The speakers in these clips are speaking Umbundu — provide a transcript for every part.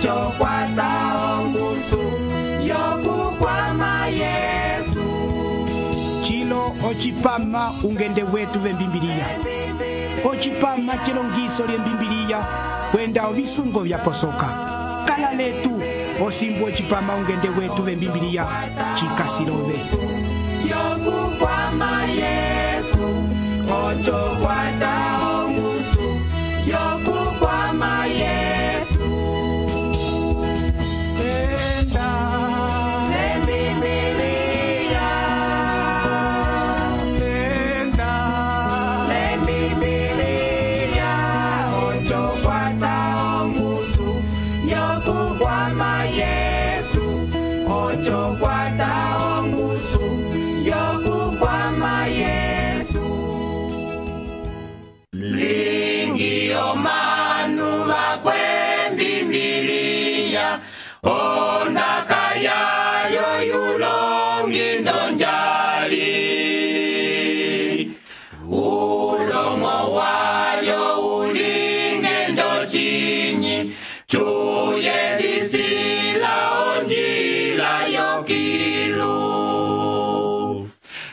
ocho kwata ongusu yokukwama Yesu. Chilo ochipama ungende wetu vembimbiliya. Ochipama chilongiso lyembimbiliya kwenda ovisungo vyaposoka. Kala letu osimbu ochipama ungende wetu vembimbiliya chikasilove. Yokukwama Yesu, ocho kwata ongusu yokukwama Yesu. Enda lembimbiliya, enda lembimbiliya, ocho kwata ongusu yokukwama Yesu, ocho kwata ongusu yokukwama Yesu. Lingi omanu bakwembimbiliya, ondaka yayo yulongi ndonjali. Ulomo wayo ulinge ndochinyi, chuye disila onjila yokilu.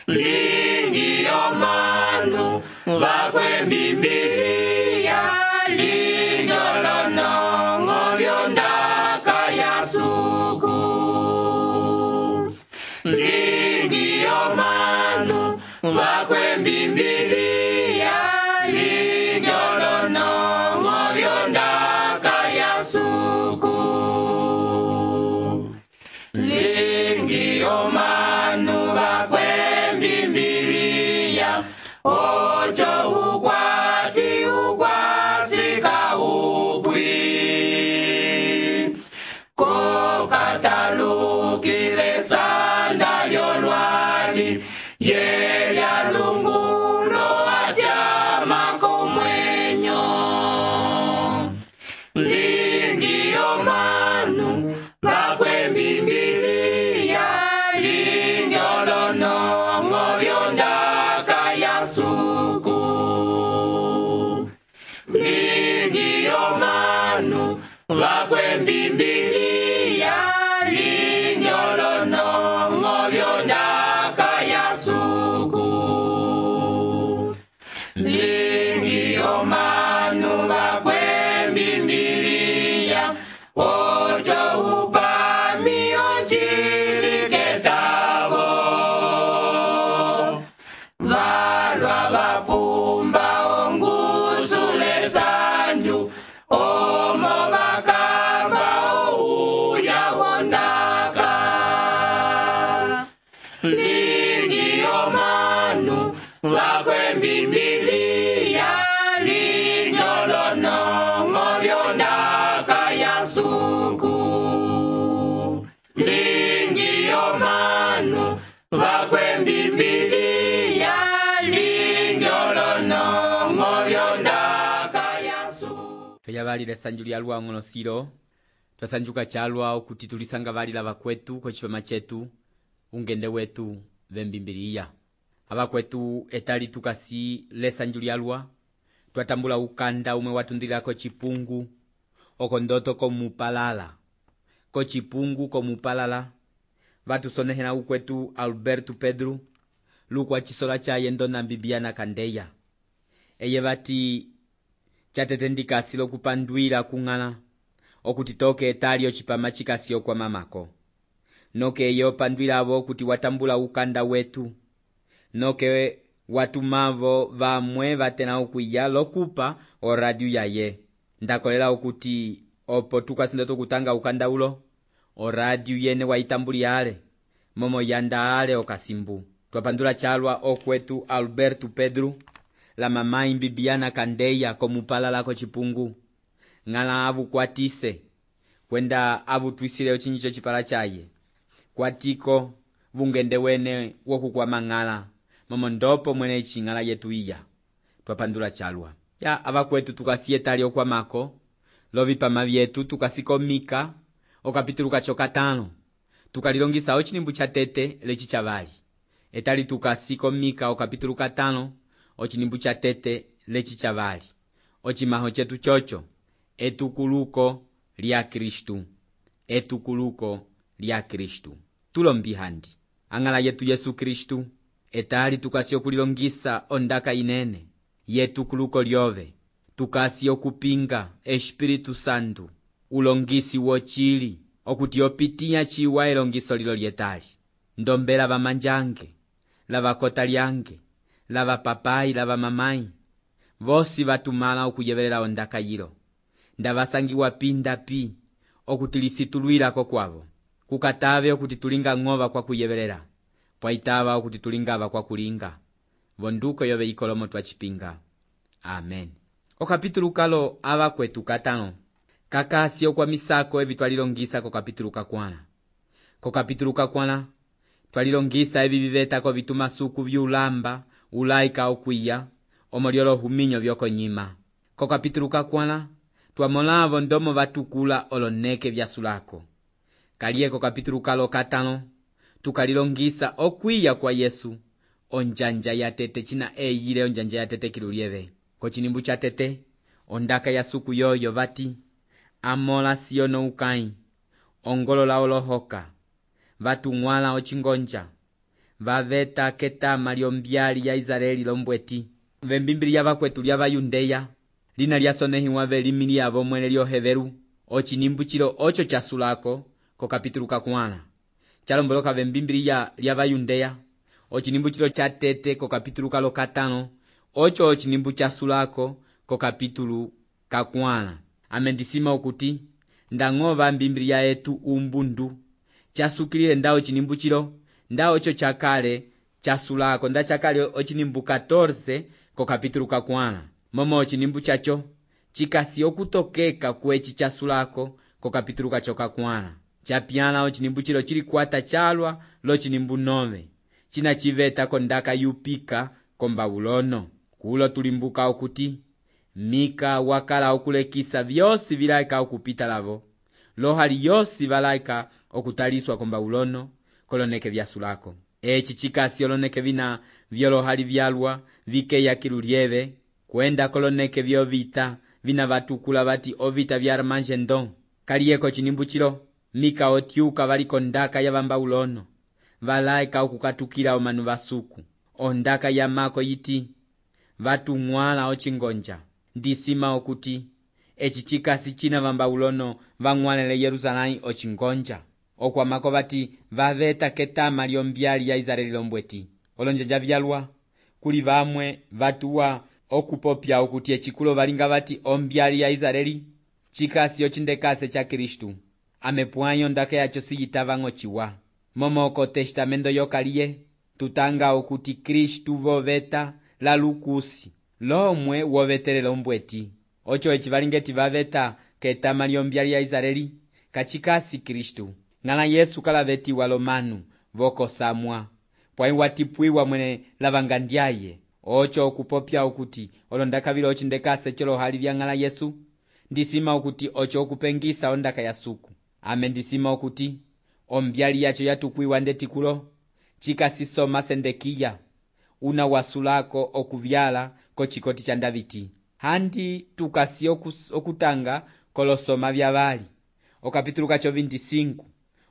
Lingi omanu bakwembimbiliya, linyolonongo byondaka yasuku. Lingi omanu bakwembimbiliya, linyolonongo byondaka yasuku. Lingi omanu bakwembimbiliya, ocho ukwati ukwasika upwi. Kokatalukile sanda yolwali, yelya lungulo atyama komwenyo. Lingi omanu bakwembimbiliya, linyolonongo byondaka yasuku. Lingi omanu bakwembimbiliya, linyolonongo byondaka yasuku. Lingi omanu bakwembimbiliya, ocho upami ochiliketavo. Valwa vapumba ongusule sanju, omo bakamba ouya wondaka. Lingi omanu bakwembimbiliya, linyolonongo byondaka yasuku. Lingi omanu bakwembimbiliya, linyolonongo byondaka yasuku. Tweyabalile sanju lya lwang'ono silo, twasanjuka chalwa okuti tulisanga balila bakwetu kochipama chetu ungende wetu vembimbiliya. Abakwetu etali tukasi lesanju lyalwa, twatambula ukanda umwe watundilako chipungu, okondoto komupalala. Ko chipungu komupalala, batusonehela ukwetu Alberto Pedro, lukwa chisola chaye ndona Bibiana Kandeya. Eye bati chatetendika silo kupandwila kung'ala, okutitoke etali ochipama chikasio kwa mamako. Noke yo pandwila abo kuti watambula ukanda wetu. Noke watumavo vamwe batena okuya lokupa o radio yaye. Ndakolela okuti opo tukasinda tukutanga ukanda ulo, o radio yene waitambuli ale, momo yanda ale okasimbu. Twapandula chalwa okwetu Alberto Pedro, la mamai Bibiana Kandeya komupalala ko chipungu. Ngala abu kwatise, kwenda abu twisile ochinyicho chipala chaye. Kwatiko vungende wene woku kwa mangala, momo ndopo mwene ichingala yetu iya. Twapandula chalwa. Ya abakwetu tukasietali okwa mako, lovi pama vyetu tukasikomika, okapitulu kachoka 5. Tukalilongisa ochinimbu cha tete lechi chavali. Etali tukasikomika okapitulu 5, ochinimbu cha tete lechi chavali. Ochimaho chetu chocho, etukuluko lya Kristu, etukuluko lya Kristu. Tulombi handi ang'ala yetu Yesu Kristu etali tukasi okulilongisa ondaka inene yetukuluko lyove, tukasi okupinga Espiritu Santu ulongisi wochili okuti opitiya chiwa elongiso lilo lyetali. Ndombela vamanjange, lavakota lyange, lavapapai, lavamamai, vosi vatumala okuyevelela ondaka yilo. Ndavasangiwa pindapi okuti lisitulwilako kwavo, kukatave okuti tulinga ng'ova kwa kuyevelela, pwaitava okuti tulingava kwa kulinga. Vonduko yove ikolomo twachipinga. Amen. Okapitulu kalo avakwetu katano kakasi okwamisako evi twalilongisa kokapitulu kakwana. Kokapitulu kakwana twalilongisa evi vivetako vitumasuku vyulamba ulaika okwiya omolyolo huminyo vyokonyima. Kokapitulu kakwana twamolavo ndomo vatukula oloneke vyasulako. Kaliye kokapitulu kalo katano tukalilongisa okwiya kwa Yesu, onjanja ya tete china eyile onjanja ya tete kilulieve. Kochinimbu cha tete ondaka ya suku yoyo vati amola siyono ukai, ongolola olohoka, vatung'wala ochingonja, vaveta ketama lyombyali ya Israeli lombweti. Vembimbili ya vakwetu lya Vayundeya lina lyasonehiwa velimili yavo mwene lyoheveru, ochinimbu chilo ocho chasulako kokapitulu kakwana. Chalomboloka vembimbili lya Vayundeya ochinimbu chilo cha tete kokapitulu kalo katano, ocho ochinimbu chasulako kokapitulu kakwana. Amendisima okuti ndang'ova mbimbilia etu umbundu chasukilile nda ochinimbu chilo, nda ocho chakale chasulako, nda chakale ochinimbu 14 kokapitulu kakwana. Momo ochinimbu chacho chikasi okutokeka kwechi chasulako kokapitulu kacho kakwana. Chapiana ochinimbu chilo chili kwata chalwa lochinimbu 9 china chiveta kondaka yupika kombabulono. Kulo tulimbuka okuti Mika wakala okulekisa vyosi vilaika okupita lavo, lohali yosi valaika okutaliswa kombabulono koloneke vyasulako. Echi chikasi oloneke vina vyolohali vyalwa vikeya kilulieve kwenda koloneke vyovita vina vatukula vati ovita vya Armagedon. Kaliyeko chinimbu chilo Mika otyuka valiko ndaka ya vambabulono valaika okukatukila omanu vasuku. Ondaka ya mako yiti vatung'wala ochingonja. Ndisima okuti echi chikasi china vambabulono vang'walele Yerusalemu ochingonja. Okwamako vati vaveta ketama lyombyali ya Israeli lombweti. Olonjanja vyalwa kuli vamwe vatuwa okupopya okuti echikulo valinga vati ombyali ya Israeli chikasi ochindekase cha Kristu. Amepuanyo ndaka yacho siyitava ng'ochiwa. Momoko testamento yokaliye tutanga okuti Kristu voveta la lukusi lomwe wovetele lombweti. Ocho echi valingeti vaveta ketama lyombyali ya Israeli kachikasi Kristu. Ng'ala Yesu kalavetiwa lomanu vokosamwa pwai watipwiwa mwene lavangandyaye. Ocho okupopya okuti olondaka vilo ochindekase cholo hali vya ng'ala Yesu. Ndisima okuti ocho okupengisa ondaka ya suku. Amendisima okuti ombyali yacho yatukwiwa ndetikulo chikasisoma Sendekiya una wasulako okuvyala kochikoti cha Daviti. Handi tukasi okutanga kolosoma vya vali okapitulu kacho 25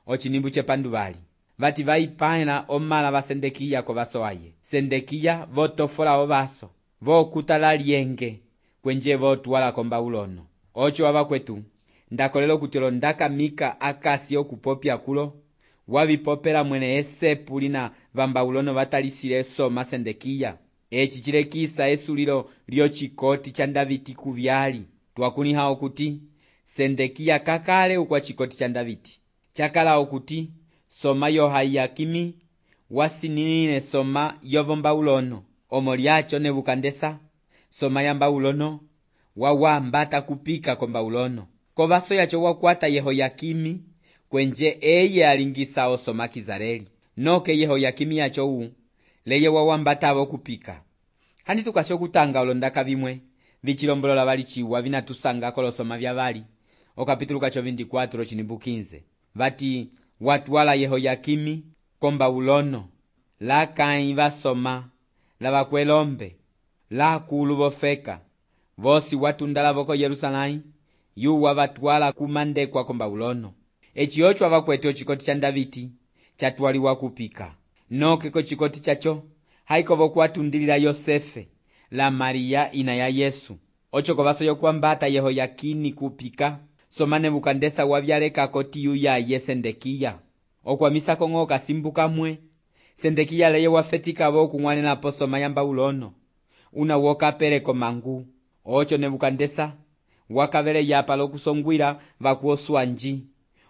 ochinimbu chepandu vali vati vaipana omala va Sendekiya ko vasoaye. Sendekiya votofola ovaso vokutala lyenge kwenje votuwala kombabulono. Ocho avakwetu ndakolela kuti olondaka Mika akasi okupopya kulo wavipopela mwene esepu lina vambabulono vatalisile soma Sendekiya. Echi chilekisa esulilo lyochikoti cha Daviti kuvyali. Twakuniha okuti Sendekiya kakale ukwa chikoti cha Daviti. Chakala okuti soma Yohayakimi wasinine soma yovombabulono. Omo lyacho Nebukadneza soma ya mbabulono wawambata kupika kombabulono. Kovaso yacho wakwata Yehoyakimi kwenje eye alingisa osoma Kizareli. Noke Yehoyakimi yacho leye wawambatavo kupika. Handi tukasho kutanga olondaka vimwe vichilombolola vali chiwa vinatusanga kolosoma vya vali. Okapitulu kacho 24 chinimbu 15 vati watwala Yehoyakimi kombabulono la kai vasoma la vakwelombe la kulu vofeka vosi watundala voko Yerusalemu yuwa vatwala kumandekwa ko Babuloni. Eci ocho avakwete ochikoti cha Davidi chatwaliwa kupika. Noke ko chikoti chacho haikovo kuatundilila Yosefe la Maria ina ya Yesu. Ocho kovaso kwambata Yehoyakini kupika. Soma Nebukadneza wavyaleka koti yuya ye Sendekiya. Okwamisa kongo kasimbuka mwe. Sendekiya leye wafetika vo kung'wanela posoma ya Babuloni. Una woka pereko mangu. Ocho Nebukadneza wakavele yapa lokusongwila vakuoswanji.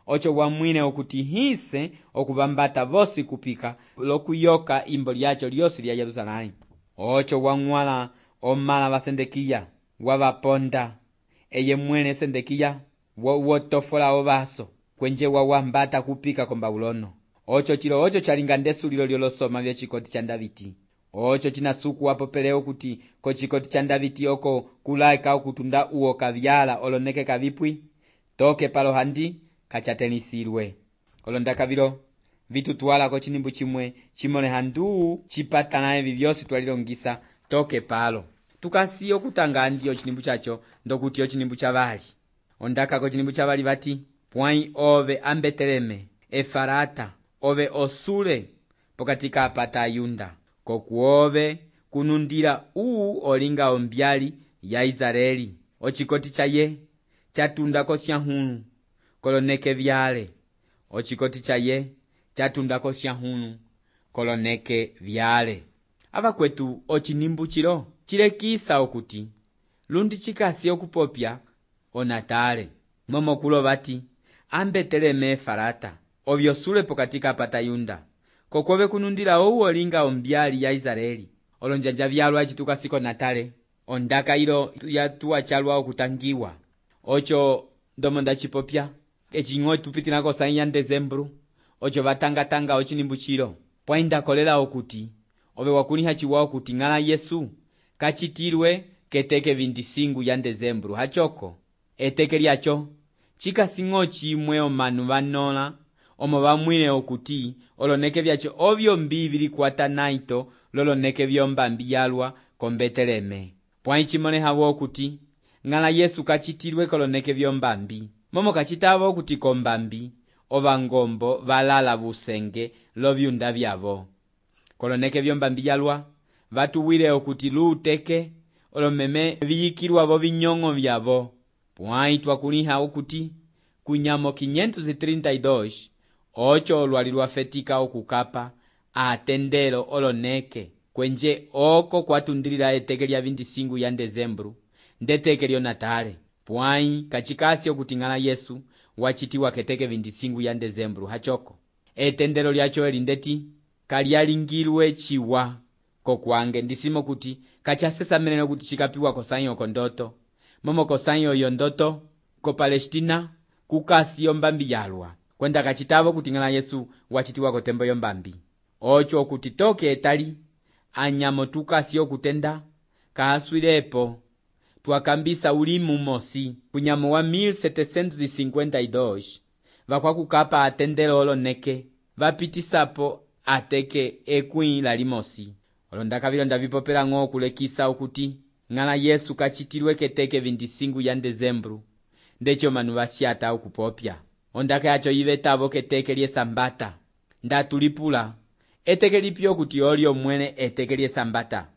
Ocho wamwine okuti hise okuvambata vosi kupika lokuyoka imbo lyacho lyosi lya Yerusalemu. Ocho wang'wala omala va Sendekiya wavaponda. Eye mwene Sendekiya wotofola ovaso kwenje wawambata kupika ko Babuloni. Ocho chilo ocho chalinga ndesulilo lyolosoma vya chikoti cha Davidi. Ocho chinasuku wapopeleo kuti ko chikoti cha Davidi oko kulaika okutunda uo kavyala oloneke kavipwi toke palo handi kachatenisirwe. Olondaka vilo vitutwala ko chinimbu chimwe chimone handu chipatana evi vyosi twalilongisa toke palo. Tukasiyo kutanga ndiyo chinimbu chacho ndokuti yo chinimbu chavali. Ondaka ko chinimbu chavali vati pwai ove ambeteleme Efarata ove osule pokatika apata Yunda. Kokuove kunundira olinga ombyali ya Israeli. Ochikoti chaye chatunda ko syahunu koloneke vyale. Ochikoti chaye chatunda ko syahunu koloneke vyale. Avakwetu ochinimbu chilo chilekisa okuti lundi chikasi okupopya onatale. Momo kulo vati ambeteleme Efarata ovyosule pokatika apata Yunda. Kokuove kunundira olinga ombyali ya Israeli. Olonjanja vyalwa chituka siko natale. Ondaka ilo yatuwa chalwa okutangiwa. Ocho ndomonda chipopya. Echingo tupitila ko sayi ya Dezembru. Ocho vatanga ochinimbu chilo. Pwainda kolela okuti ove wakuniha chiwa okuti ng'ala Yesu kachitilwe keteke 25 ya Dezembru. Hachoko eteke lyacho chikasingo chimwe omanu vanola omo vamwine okuti oloneke vyacho ovyo mbivili kwata naito loloneke vyombambi yalwa ko Beteleme. Pwai chimone hawo okuti ng'ala Yesu kachitilwe koloneke vyombambi. Momo kachitavo okuti kombambi ovangombo valala busenge lovyunda vyavo. Koloneke vyombambi yalwa vatuwile okuti luuteke olomeme viyikilwa vo vinyongo vyavo. Pwai twakuliha okuti kunyamo 532 ocho olwali lwafetika okukapa atendelo oloneke kwenje oko kwatundilila eteke lya 25 ya Dezembru ndeteke lyo natale. Pwai kachikasi okuti ng'ala Yesu wachitiwa keteke 25 ya Dezembru. Hachoko etendelo lyacho elindeti kalyalingilwe chiwa kokwange ndisimo kuti kachasesamene kuti chikapiwa kosanyo kondoto. Momo kosanyo yo ndoto ko Palestina kukasi yombambi yalwa. Kwenda kachitavo kuti ng'ala Yesu wachitiwa ko tembo yombambi. Ocho kuti toke etali anyamo tukasi okutenda kaaswilepo twakambisa ulimu mosi kunyamo wa 1752 vakwa kukapa atendelo oloneke vapitisapo ateke ekwi la limosi. Olondaka vilo ndavipopela ng'o kulekisa okuti ng'ala Yesu kachitilwe keteke 25 ya Dezembru ndecho manu vasyata okupopya. Ondaka yacho yivetavo keteke lye Sambata ndatulipula eteke lipyo kuti olyo mwene eteke lye Sambata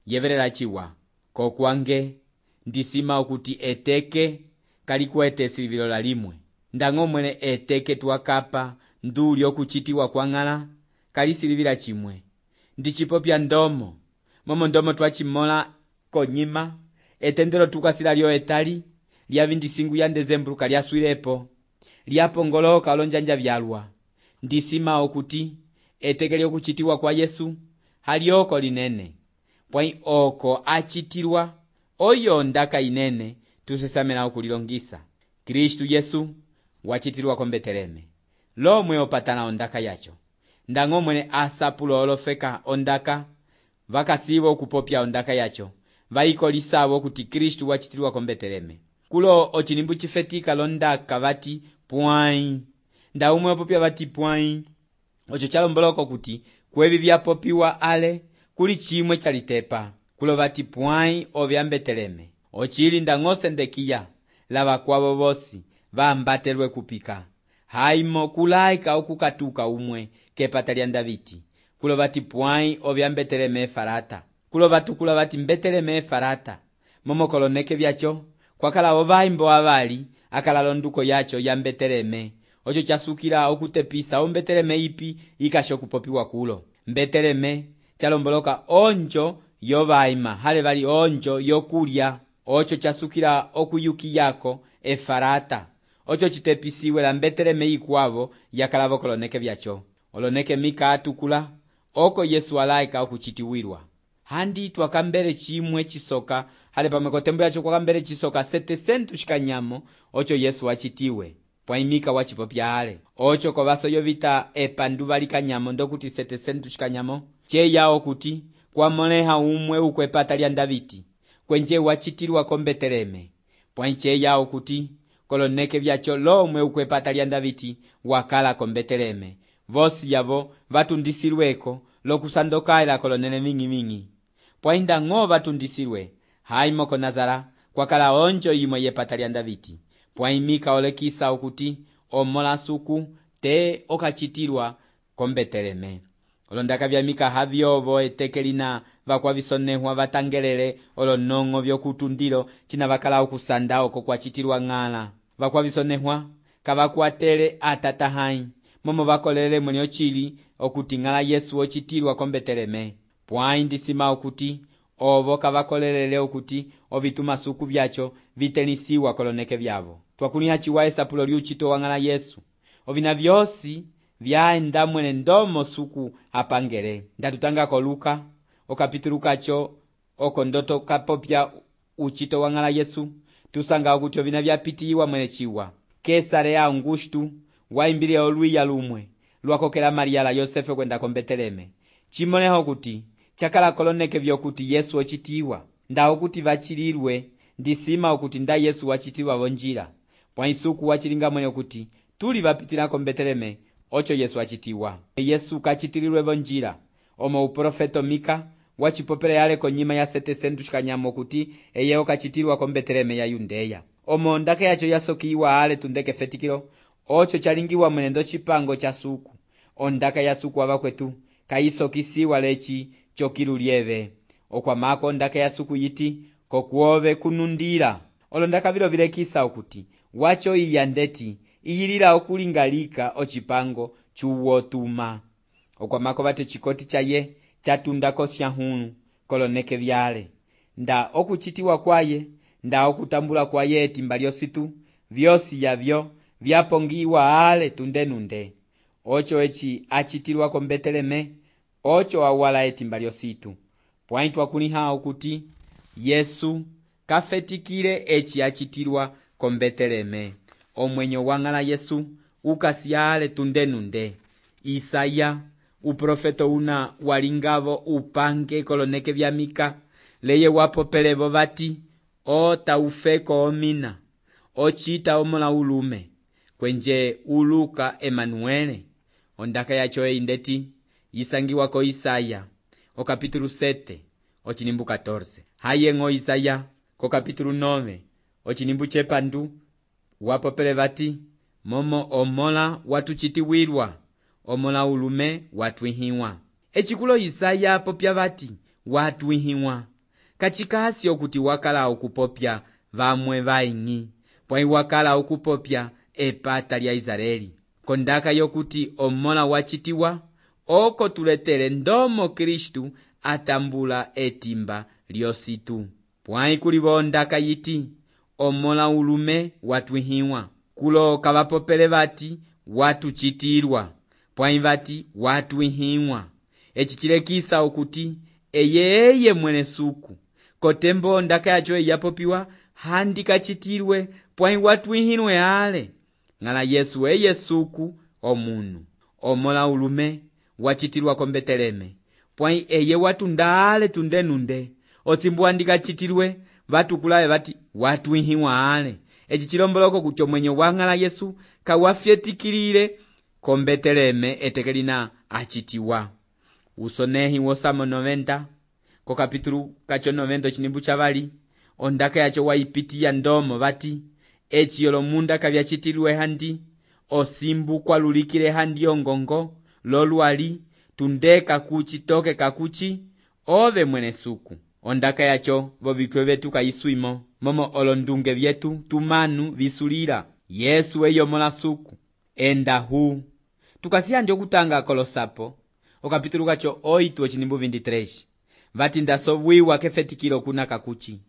yevelela chiwa. Kokwange ndisima okuti eteke kalikwete silivilo la limwe ndang'o mwene eteke twakapa nduli okuchitiwa kwa ng'ala kalisilivila chimwe. Ndichipopya ndomo momo ndomo twachimola konyima etendelo tukasila lyo etali lya 25 ya Dezembru kalyaswilepo lyapongoloka olonjanja vyalwa. Ndisima okuti eteke lyokuchitiwa kwa Yesu halyoko linene. Pwai oko achitilwa oyo ndaka inene tusesamela okulilongisa. Kristu Yesu wachitilwa ko Beteleme lomwe opatana ondaka yacho. Ndang'o mwene asapulo olofeka ondaka vakasivo okupopya ondaka yacho vaikolisavo kuti Kristu wachitilwa ko Beteleme. Kulo ochinimbu chifetika londaka vati pwai. Ndaumwe opopya vati pwai. Ocho chalomboloko kuti kwevi vyapopiwa ale kuli chimwe chalitepa. Kulo vati pwai ovya Beteleme. Ochili ndang'o Sendekiya lavakwavo vosi vambatelwe kupika. Haimo kulaika okukatuka umwe kepata lya Davidi. Kulo vati pwai ovya Beteleme Efrata. Kulo vatukula vati Beteleme Efrata. Momokoloneke vyacho kwakala ovaimbo avali akala londuko yacho ya Beteleme. Ocho chasukila okutepisa o Beteleme ipi ikasho kupopiwa kulo. Beteleme chalomboloka onjo yovaima hale vali onjo yokulya. Ocho chasukila okuyuki yako Efrata. Ocho chitepisiwe la Beteleme ikwavo yakalavo koloneke vyacho. Oloneke mika atukula oko Yesu alaika okuchitiwirwa. Handi twakambere chimwe chisoka hale pamwe tembo yacho kwakambere chisoka 700 shikanyamo ocho Yesu wachitiwe. Pwaimika wachipopya hale. Ocho kovaso yovita epanduva likanyamo ndokuti 700 shikanyamo. Che yao kuti kwa moleha umwe ukwepata lya Davidi. Kwenje wachitirwa ko Beteleme. Pwainche yao kuti koloneke vyacho lomwe ukwepata lya Davidi wakala ko Beteleme. Vosi yavo vatundisirweko lokusandokaila kolonene mingi. Pwainda ngo vatundisirwe. Haimo ko Nazara kwakala onjo imwe yepata lya Davidi. Pwaimika olekisa okuti omola suku te okachitirwa ko Beteleme. Olondaka vya mika havyovo etekelina vakwavisonehwa vatangelele olonongo vyokutundilo china vakala okusanda oko kwachitirwa ng'ala. Vakwavisonehwa kavakwatele atatahai. Momo vakolele mwenye ochili okuti ng'ala Yesu ochitirwa ko Beteleme. Pwaindisima okuti ovo kavakolelele okuti ovituma suku vyacho vitenisiwa koloneke vyavo. Twakunia chiwa esapulo liuchito wa ng'ala Yesu. Ovina vyosi vyaenda mwene ndomo suku apangele. Ndatutanga ko Luka okapitulu kacho oko ndoto kapopya uchito wa ng'ala Yesu. Tusanga okuti ovina vyapitiwa mwene chiwa. Kesare Augustu waimbile oluya lumwe lwakokela Maria la Yosefe kwenda ko Beteleme. Chimoneho kuti chakala koloneke vyokuti Yesu ochitiwa. Nda okuti vachilirwe ndisima okuti nda Yesu wachitiwa vonjira. Pwaisuku wachilinga mwene okuti tuli vapitila ko Beteleme ocho Yesu achitiwa. Yesu kachitirirwe vonjira. Omo uprofeto Mika wachipopele yale konyima ya 700 shikanyamo kuti eyeo kachitirwa ko Beteleme ya Yudeya. Omo ndake yacho yasokiwa ale tundeke fetikilo ocho chalingiwa mwenendo chipango cha suku. Ondaka ya suku wava kwetu kaisokisiwa lechi chokilu lieve. Okwa mako ondaka ya suku yiti kokuove kunundira. Olondaka vilo vilekisa okuti wacho iyandeti iyilila okulingalika ochipango chuwotuma. Okwa mako vate chikoti chaye chatundako syahunu koloneke vyale. Nda okuchitiwa kwaye nda okutambula kwaye etimba lyositu vyosi yavyo vyapongiwa ale tundenunde. Ocho echi achitirwa ko Beteleme ocho awala etimba lyositu. Pwaintwa kuniha okuti Yesu kafetikile echi achitirwa ko Beteleme. Omwenyo wa ng'ala Yesu ukasiale tundenunde. Isaya uprofeto una walingavo upange koloneke vya Mika leye wapopelevo vati o taufeko omina ochita omola ulume kwenje uluka Emanuele. Ondaka yacho indeti yisangiwa ko Isaya o kapitulu 7 ochinimbu 14. Hayengo Isaya ko kapitulu 9 ochinimbu chepandu wapopele vati momo omola watuchitiwirwa omola ulume watwihiwa. Echikulo Isaya popya vati watwihiwa. Kachikasi okuti wakala okupopya vamwe vaingi. Pwai wakala okupopya epata lya Israeli. Kondaka yokuti omola wachitiwa oko tuletere ndomo Kristu atambula etimba lyositu. Pwai kulivo ondaka yiti omola ulume watwihiwa. Kulo kavapopele vati watuchitirwa. Pwai vati watwihiwa. Echichilekisa okuti eye mwene suku. Kotembo ondaka yacho yapopiwa handi kachitirwe pwai watwihinwe ale. Ng'ala Yesu eye suku omunu. Omola ulume wachitirwa ko Beteleme. Pwai eye watunda ale tundenunde. Osimbu andika chitirwe vatukulawe vati watwihiwa ale. Echi chilomboloko kucho mwenye wa ng'ala Yesu kawafyetikilile ko Beteleme etekelina achitiwa. Usonehi wosamo 90 ko kapitulu kacho 90 chinimbu chavali ondaka yacho waipitiya ndomo vati eci olomunda kavyacitilwe handi, osimbu kwalulikile handi ongongo, lolwali, tunde kakuchi toke kakuchi, ove mwene suku. Ondaka yacho vovitwe vetu kayisuimo, momo olondunge vyetu tumanu visulila. Yesu eyomola suku, enda huu. Tukasiyandi okutanga kolosapo, okapitulu kacho 8:23. Vati ndasovwiwa kefetikilo kuna kakuchi.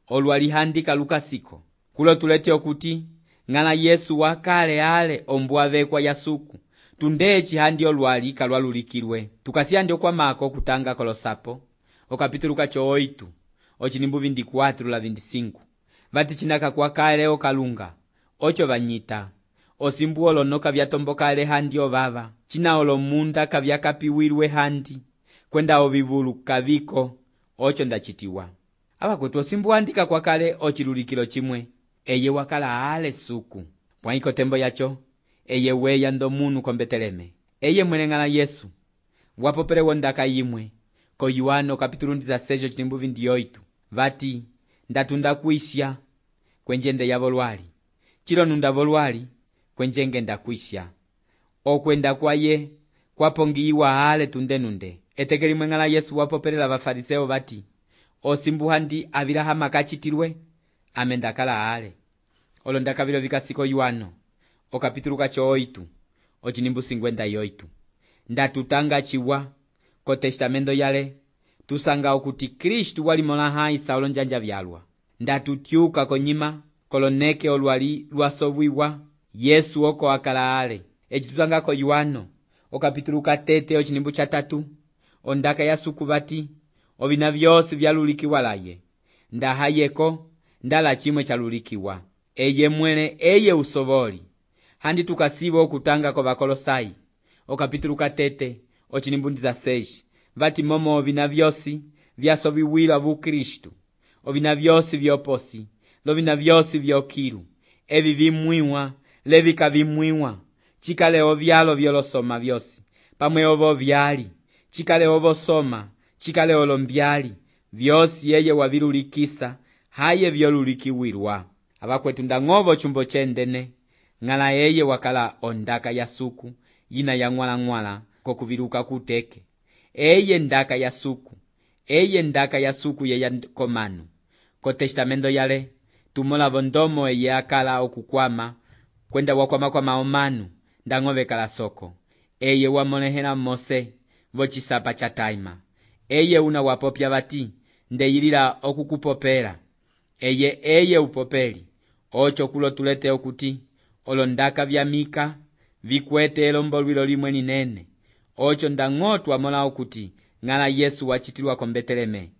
Olwali handi kalukasiko. Kulo tulete okuti, ngala Yesu wakale ale ombwavekwa ya suku. Tundechi handi olwali kalwalulikilwe. Tukasiyandi okwamako kutanga kolosapo, okapitulu kacho 8:24-25. Vati chinaka kwa kale okalunga, ocho vanyita. Osimbu olono kavyatomboka ale handi ovava. China olomunda kavyakapiwilwe handi. Kwenda ovivulu kaviko, ocho ndachitiwa. Abakwetu osimbu andika kwa kale ochilulikilo chimwe. Eye wakala ale suku. Pwaiko tembo yacho, eye weya ndo munu kombeteleme. Eye mwene ngala Yesu. Wapopele wondaka imwe. Ko Yohano kapitulu 16:28. Vati, ndatunda kuisya, kwenjende ya volwali. Chilo nunda volwali, kwenjenge ndakuisya. Okwenda kwaye, kwapongiwa ale tundenunde. Etekeli mwengala Yesu wapopelela vafariseo vati, osimbu handi avilahama kachitilwe, amendakala ale. Olondaka vilo vikasiko Yohano, okapitulu kacho 8:58. Ndatutanga chiwa, ko testamento yale, tusanga okuti Kristu walimola hai saulo njanja vyalwa. Ndatutyuka konyima, koloneke olwali lwasovwiwa, Yesu oko akala ale. Eci tusanga ko Yohano, okapitulu katete 3. Ondaka ya suku vati, ovina vyosi vyalulikiwa laye. Ndahayeko, ndala chimwe chalulikiwa. Eye mwene eye usovoli. Handi tukasivo okutanga ko Vakolosai, okapitulu katete 6. Vati momo ovina vyosi vyasoviwila vu Kristu. Ovina vyosi vyoposi, lovina vyosi vyokilu. Evi vimwiwa, levika vimwiwa. Chikale ovyalo vyolosoma vyosi. Pamwe ovo vyali, chikale ovo soma, chikale olombyali. Vyosi yeye wavilulikisa, haye vyolulikiwilwa. Abakwetu ndang'ovo chumbo chendene. Ngala yeye wakala ondaka ya suku, yina ya ngwala kokuviluka kuteke. Eye ndaka ya suku. Eye ndaka ya suku ye ya komanu. Ko testamento yale, tumola vondomo eye akala okukwama, kwenda wakwama kwa maomanu, ndang'ove kala soko. Eye wamolehela Mose, vochisapa cha taima. Eye una wapopya vati, ndeyilila okukupopela. Eye upopeli. Ocho kulo tulete okuti, olondaka vya Mika, vikwete elombolwilo limwe ninene. Ocho ndang'otu wamola okuti, ngala Yesu wachitilwa ko Beteleme.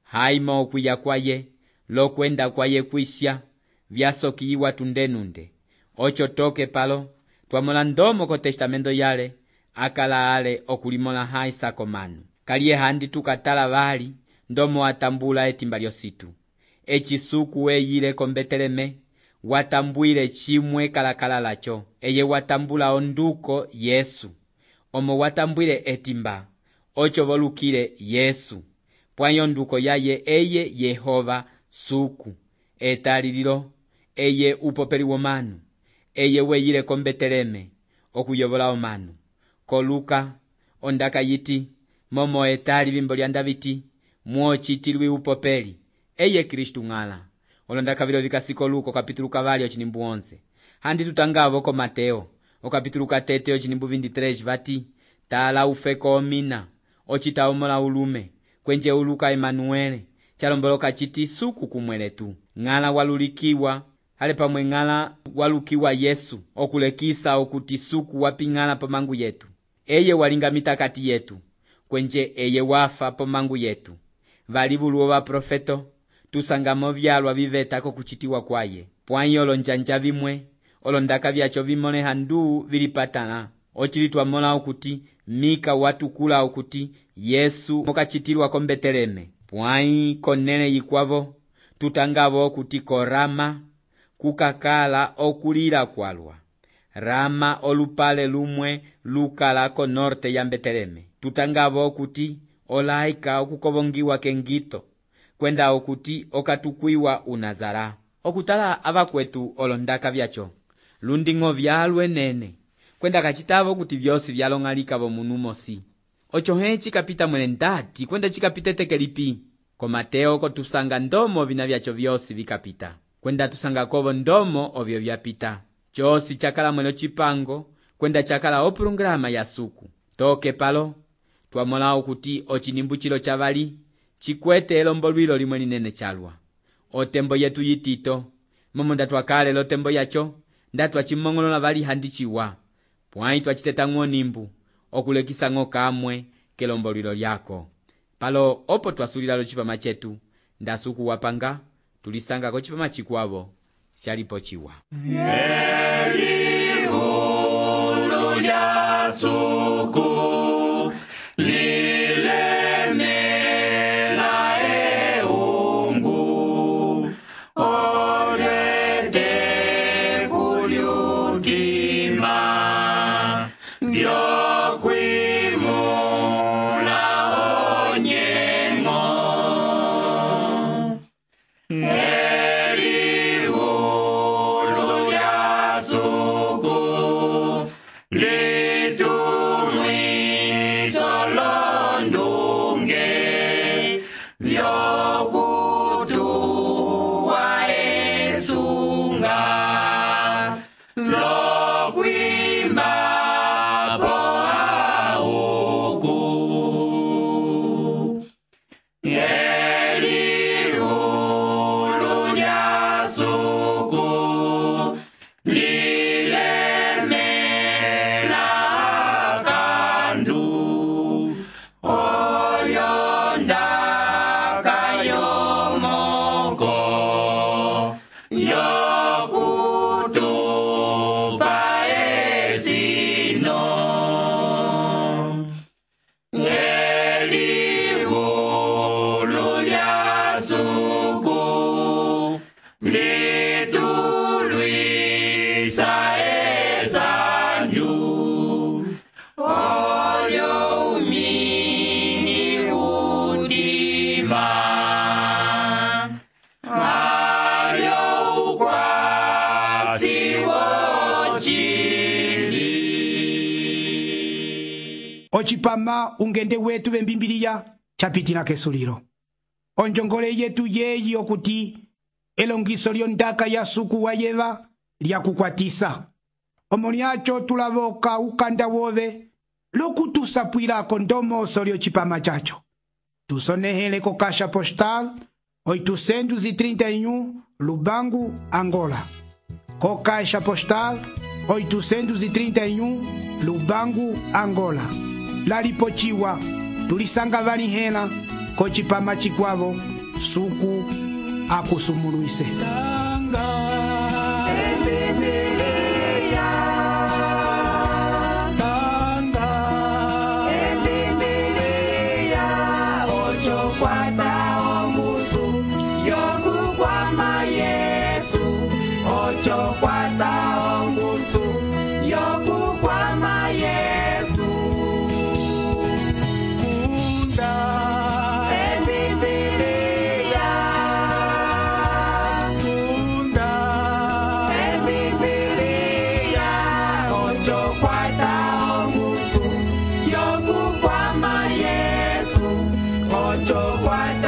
Haima okwiya kwaye, lokwenda kwaye kuisya, vyasokiwa tundenunde. Ocho toke palo, twamola ndomo ko testamento yale, akala ale okulimola hai sakomanu. Kaliye handi tukatala vali, ndomo atambula etimba lyositu. Echisuku eyile ko Beteleme, watambwile chimwe kalakala lacho. Eye watambula onduko Yesu. Omo watambwile etimba, ocho volukile Yesu. Pwanyo nduko yaye eye Yehova suku. Etalililo, eye upopeli womanu. Eye weyile ko Beteleme, okuyovola omanu. Ko Luka, ondaka yiti, momo etali vimbo lya Daviti, muochitilwi upopeli. Eye Kristu ngala. Olondaka vilo vikasiko Luka kapitulu kavali 11. Handi tutangavo ko Mateo, okapitulu katete 23 vati, tala ufeko omina, ochita omola ulume, kwenje uluka Emanuele, chalomboloka chiti suku kumweletu. Ngala walulikiwa, hale pamwe ngala walukiwa Yesu, okulekisa okuti suku wapingala pamangu yetu. Eye walingamita kati yetu, kwenje eye wafa pamangu yetu. Valivuluwa wa profeto, tusangamo vyalwa vivetako kuchitiwa kwaye. Pwanyo olonjanja vimwe, olondaka vyacho vimone handu vilipatana. Ochilitwa mola okuti, Mika watukula okuti, Yesu mokachitilwa ko Beteleme. Pwanyi konene yikwavo, tutangavo okuti ko Rama, kukakala okulila kwalwa. Rama olupale lumwe lukala ko norte ya Beteleme. Tutangavo okuti, olaika okukovongiwa kengito, kwenda okuti okatukwiwa unazara. okutala abakwetu olondaka byacho lunding'o byalwe nene kwenda kachitavo kuti byosi byalong'alika bomunu mosi ocho hechi kapita mwene ndati kwenda chikapita tekelipi ko Mateo kotusanga ndomo bina byacho byosi bikapita kwenda tusanga kobo ndomo obyo byapita chosi chakala mwelo chipango kwenda chakala opulungrama ya suku toke palo twamolao kuti ochinimbuchilo chavali chikwete elombo lwilo limwe linene chalwa otembo yetu yitito momo ndatwakale lotembo yacho ndatwachimongolola bali handichiwa pwai twachiteta ng'onimbu okulekisa ng'o kamwe kelombo lwilo lyako palo opo twasulila lo chipama chetu ndasuku wapanga tulisanga ko chipama chikwavo syalipo chiwa Elihulu lya suku lilemela eungu olete kulyutima byokwimula onyengo Elihulu lya suku litumwiso londunge vyokutuwa esunga lokwimba po auku Elihulu lya suku lilemela kandu olyondaka yomoko yokutupa esino Elihulu lya suku litulwisa esanju olyo umini udima alyo ukwasi wochili ochipama ungende wetu bembimbiriya chapitila kesulilo onjongole yetu yeyi okuti elongiso lyondaka ya suku wa yeva lyakukwatisa omo lyacho tulavoka ukanda wove lokutusapwilako ndomoso lyochipama chacho tusonehele ko kasha postal 831 Lubangu, Angola. Ko kasha postal 831 Lubangu, Angola. Lalipochiwa tulisanga vali hela ko chipama chikwavo suku akusumuluise. What